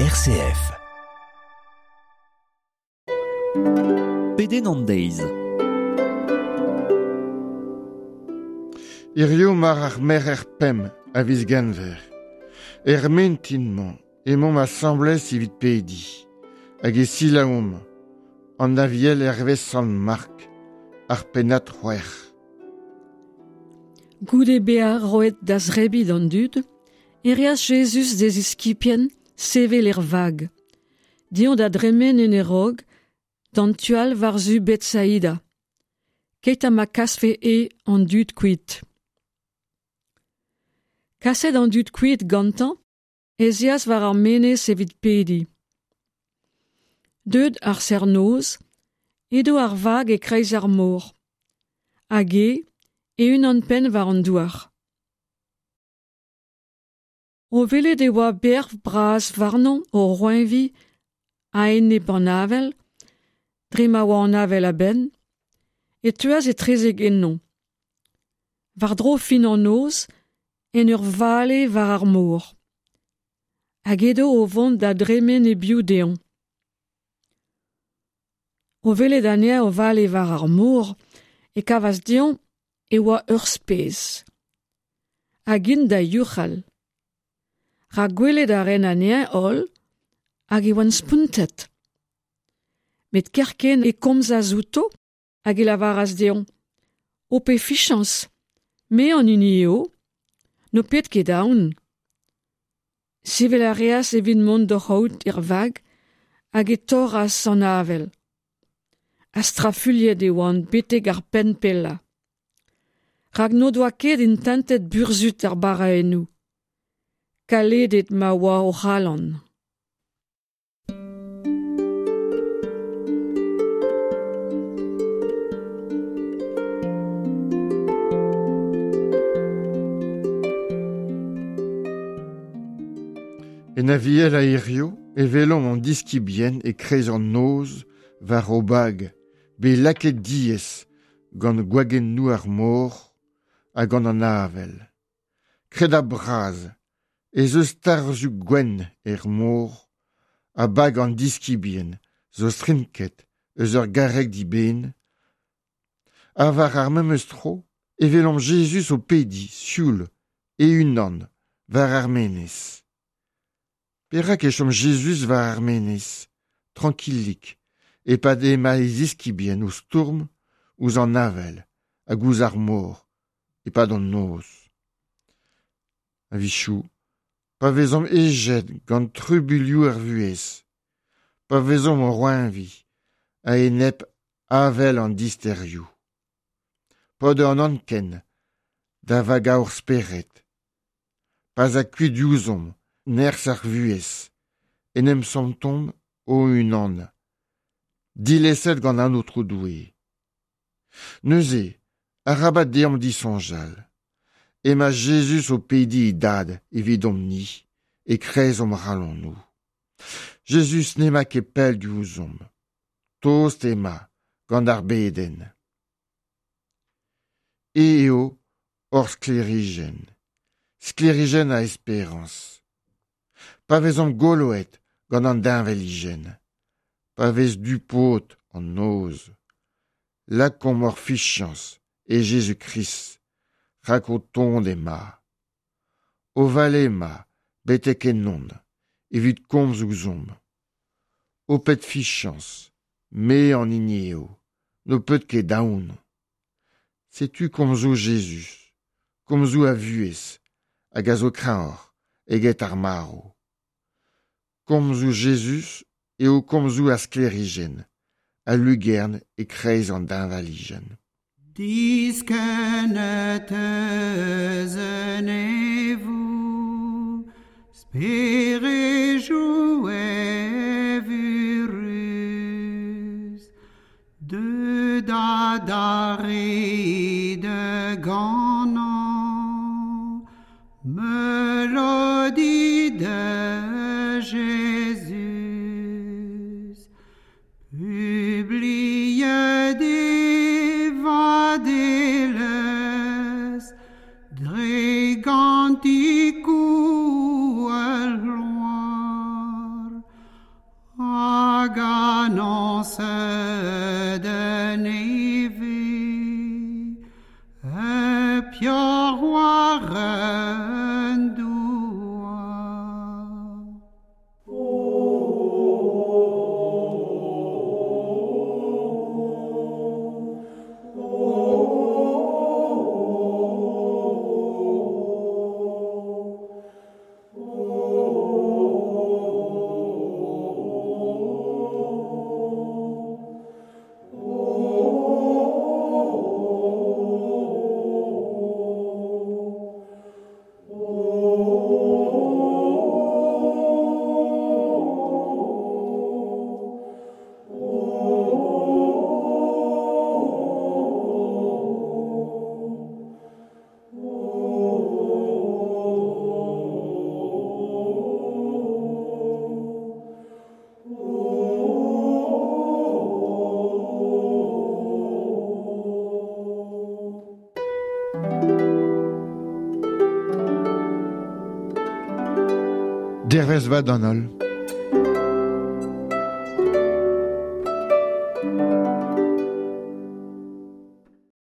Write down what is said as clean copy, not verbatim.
RCF. Pedenn an deiz. Hirio mar ar merc'her pemp a viz Genver. Er mintin-mañ emaomp asambles evit pediñ, hag e selaouomp an Aviel hervez Sant Mark, ar pennad c'hwec'h. Goude bezañ roet da zebriñ d'an dud e reas Jezuz d'e ziskibien sevel er vag, dezhañ da dremen en e raok d'an tu all war-zu Betsaida, keit ha ma kasfe e an dud kuit. Kaset an dud kuit gantañ ez eas war ar menez evit pediñ. Deuet ar serr-noz, edo ar vag e-kreiz ar mor, hag e e-unan-penn war an douar. O welet e oa berv bras warnañ o roeñviñ a-enep an avel, dre ma oa an avel a-benn, e teuas etrezek ennañ. War-dro fin an noz, en ur vale war ar mor. Hag edo o vont da dremen e-biou dezhañ. O welet anezhañ o vale war ar mor e kavas dezhañ e oa ur spes. Hag int da youc'hal. Rak gwelet a raent anezhañ holl hag e oant spontet. Met kerkent e komzas outo hag e lavaras dezhañ Ho pet fichañs, me an hini eo, n'ho pet ket aon. Sevel a reas evit mont d'o c'haout er vag hag e torras an avel. Ha strafuilhet e oant betek ar penn pellañ. Rak n'o doa ket intentet burzhud ar baraennoù. Kaledet ma oa o c'halon. En Aviel a hirio e welomp an diskibien e-kreiz an noz war o bag, bet lakaet diaes gant gwagennoù ar mor ha gant an avel. Kredabl bras ez eus tarzhoù gwenn er mor ha bag an diskibien zo strinket eus ur garreg dibenn. Ha war ar memes tro e welomp Jezuz o pediñ sioul e-unan war ar menez. Perak e chom Jezuz war ar menez, trankilik, e-pad emañ e ziskibien o stourm ouzh an avel hag ouzh ar mor e-pad an noz? A-wechoù, pa vezomp hejet gant trubuilhoù ar vuhez, pa vezomp o roeñviñ a-enep avel an disterioù, paotr an anken da vagañ hor spered, pa'z a kuit diouzhomp nerzh ar vuhez, en em santomp o-unan, dilezet gant an Aotrou Doue. Neuze, arabat deomp disoñjal emañ Jezuz o pediñ e Dad evidomp-ni e-kreiz hom c'halonoù. Jezuz n'emañ ket pell diouzhomp, tost emañ gant ar bedenn. E eo hor sklêrijenn, sklêrijenn a esperañs. Pa vezomp goloet gant an deñvalijenn, pa vez du-pod an noz, lakaomp hor fiziañs e Jezuz-Krist rak o tont emañ. O vale emañ betek ennon evit komz ouzhomp. Ho pet fiziañs, me an hini eo, n'ho pet ket aon. Setu komzoù Jezuz, komzoù a vuhez hag a zo kreñvoc'h eget ar marv. Komzoù Jezuz eo komzoù ar sklêrijenn, a lugern e-kreiz an deñvalijenn. Diskennet eus an neñvoù, sperejou evurus, deut adarre da ganañ meulodi da Jezuz. Publiet e vadelezh dre gantikoù al gloar. Annonce de neve E pior war an douar. Dervez vat d'an holl.